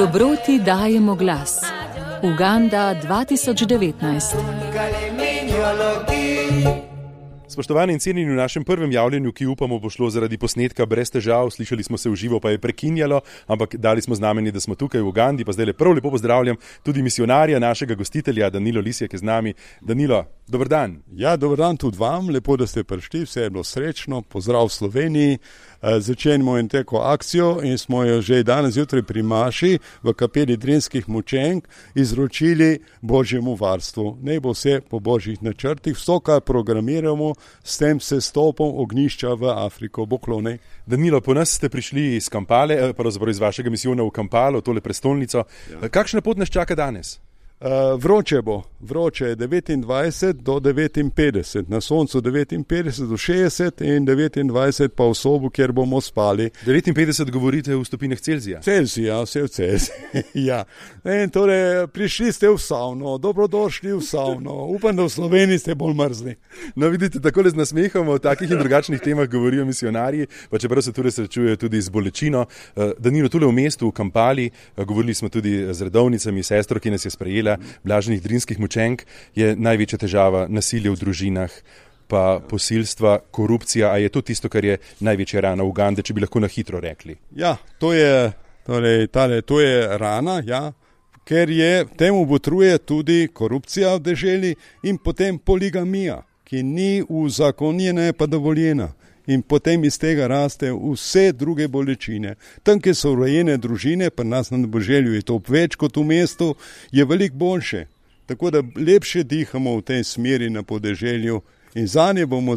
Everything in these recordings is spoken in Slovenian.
Dobroti dajemo glas. Uganda 2019. Spoštovani in cenjeni, v našem prvem javljenju, ki upamo bo šlo zaradi posnetka brez težav, slišali smo se v živo, pa je prekinjalo, ampak dali smo znamenje, da smo tukaj v Ugandi, pa zdaj prav lepo pozdravljam tudi misionarja, našega gostitelja, Danilo Lisjak je z nami. Danilo, dober dan. Ja, dober dan tudi vam, lepo, da ste prišli, vse je bilo srečno, pozdrav v Sloveniji. Začenjamo in teko akcijo in smo jo že danes zjutraj pri Maši v kapeli Drinskih mučenk izročili Božjemu varstvu. Naj bo vse po Božjih načrtih, vso, kar programiramo, s tem sestopom ognjišča v Afriko. Boklone. Danilo, po nas ste prišli iz Kampale, pravzaprav iz vašega misijona v Kampalo, tole prestolnico. Ja. Kakšna pot nas čaka danes? Vroče bo, vroče je 29 do 59, na soncu 59 do 60 in 29 pa v sobu, kjer bomo spali. 59 govorite v stopinjah Celzija? Celzija, vse v Celziji, ja. In torej, prišli ste v savno, dobrodošli v savno, upam, da v Sloveniji ste bolj mrzli. No, vidite, takole z nasmehom o takih in drugačnih temah govorijo misionarji, pa čeprav se tudi srečujejo tudi z bolečino. Danilo, tule v mestu, v Kampali, govorili smo tudi z redovnicami, sestro, ki nas je sprejela, blaženih drinskih mučenk, je največja težava nasilje v družinah, pa posilstva, korupcija, a je to tisto, kar je največja rana Ugande, če bi lahko na hitro rekli? Ja, to je rana, ja, ker temu botruje tudi korupcija v deželi in potem poligamija, ki ni uzakonjena, pa dovoljena. In potem iz tega raste vse druge bolečine. Tam, kjer so urejene družine, pa nas na Boželju je to več kot v mestu, je veliko boljše. Tako da lepše dihamo v tej smeri na podeželju in zanje bomo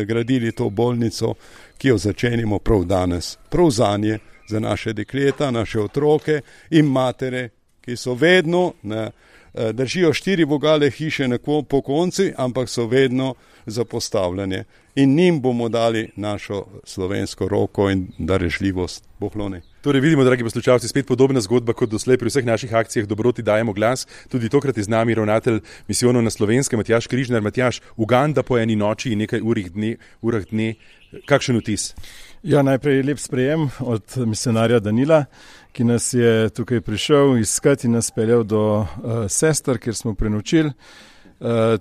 gradili to bolnico, ki jo začenimo prav danes. Prav zanje, za naše dekleta, naše otroke in matere, ki so vedno, držijo 4 vogale hiše po konci, ampak so vedno zapostavljene. In njim bomo dali našo slovensko roko in darežljivost. Bohlone. Torej vidimo, dragi poslušalci, spet podobna zgodba kot doslej pri vseh naših akcijah Dobroti dajemo glas. Tudi tokrat je z nami ravnatelj misijonov na Slovenskem, Matjaž Križnar. Matjaž, Uganda po eni noči in nekaj urah dne. Kakšen vtis? Ja, najprej lep sprejem od misionarja Danila, ki nas je tukaj prišel iskati in nas peljal do sester, kjer smo prenočili.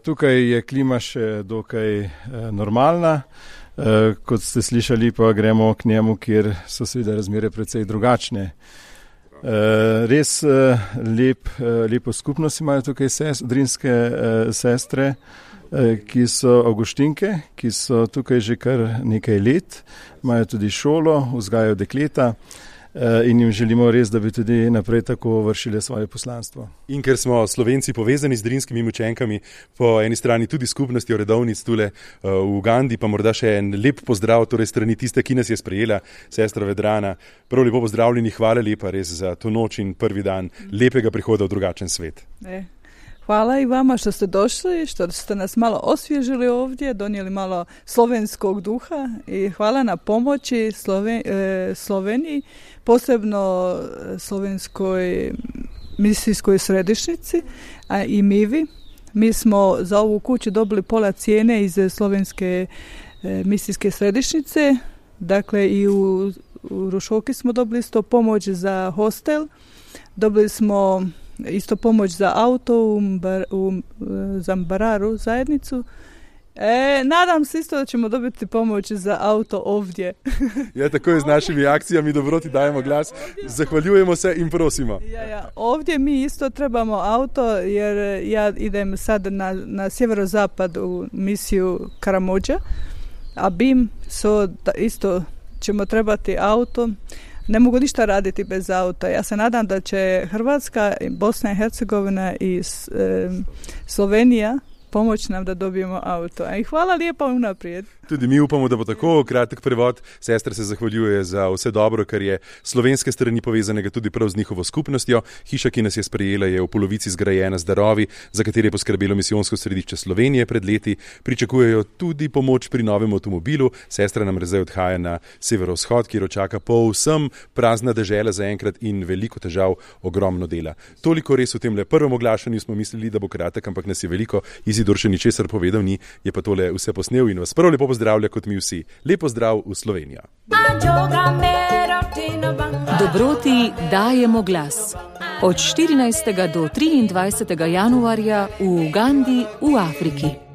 Tukaj je klima še dokaj normalna, kot ste slišali, pa gremo k njemu, kjer so seveda razmere precej drugačne. Res lepo skupnost imajo tukaj drinske sestre, ki so avguštinke, ki so tukaj že kar nekaj let, imajo tudi šolo, vzgajajo dekleta. In jim želimo res, da bi tudi naprej tako vršili svoje poslanstvo. In ker smo Slovenci povezani z drinskimi mučenkami, po eni strani tudi skupnostjo redovnic tule v Ugandi, pa morda še en lep pozdrav, torej strani tiste, ki nas je sprejela, sestra Vedrana. Prav lepo pozdravljeni, hvala lepa res za to noč in prvi dan lepega prihoda v drugačen svet. Hvala i vama što ste došli, što ste nas malo osvježili ovdje, donijeli malo slovenskog duha i hvala na pomoći Sloveniji, posebno slovenskoj misijskoj središnjici i Mivi. Mi smo za ovu kuću dobili pola cijene iz slovenske misijske središnjice, dakle i u Rušoki smo dobili isto pomoć za hostel, dobili smo isto pomoć za auto u Zambararu zajednicu. Nadam se isto da ćemo dobiti pomoć za auto ovdje. Ja, tako je z našimi akcijami Dobroti dajemo glas. Zahvaljujemo se in prosimo. Ovdje mi isto trebamo auto jer ja idem sad na sjeverozapad u misiju Karamođa, a BIM isto ćemo trebati auto. Ne mogu ništa raditi bez auta. Ja se nadam da će Hrvatska, Bosna i Hercegovina i Slovenija pomoći nam da dobijemo auto. I hvala lijepa unaprijed. Tudi mi upamo, da bo tako. Kratek prevod. Sestra se zahvaljuje za vse dobro, kar je slovenske strani povezanega tudi prav z njihovo skupnostjo. Hiša, ki nas je sprejela, je v polovici zgrajena z darovi, za katere je poskrbelo misijonsko središče Slovenije pred leti. Pričakujejo tudi pomoč pri novem avtomobilu. Sestra nam zdaj odhaja na severovzhod, kjer očaka povsem prazna dežela zaenkrat in veliko težav, ogromno dela. Toliko res v tem prvem oglašanju smo mislili, da bo kratek, ampak nas je veliko. Izidor še ničesar povedal ni, je pa tole vse posnel in vas prav lepo pozdravlja kot mi vsi. Lep pozdrav v Slovenijo. Dobroti dajemo glas. Od 14. do 23. januarja v Ugandi v Afriki.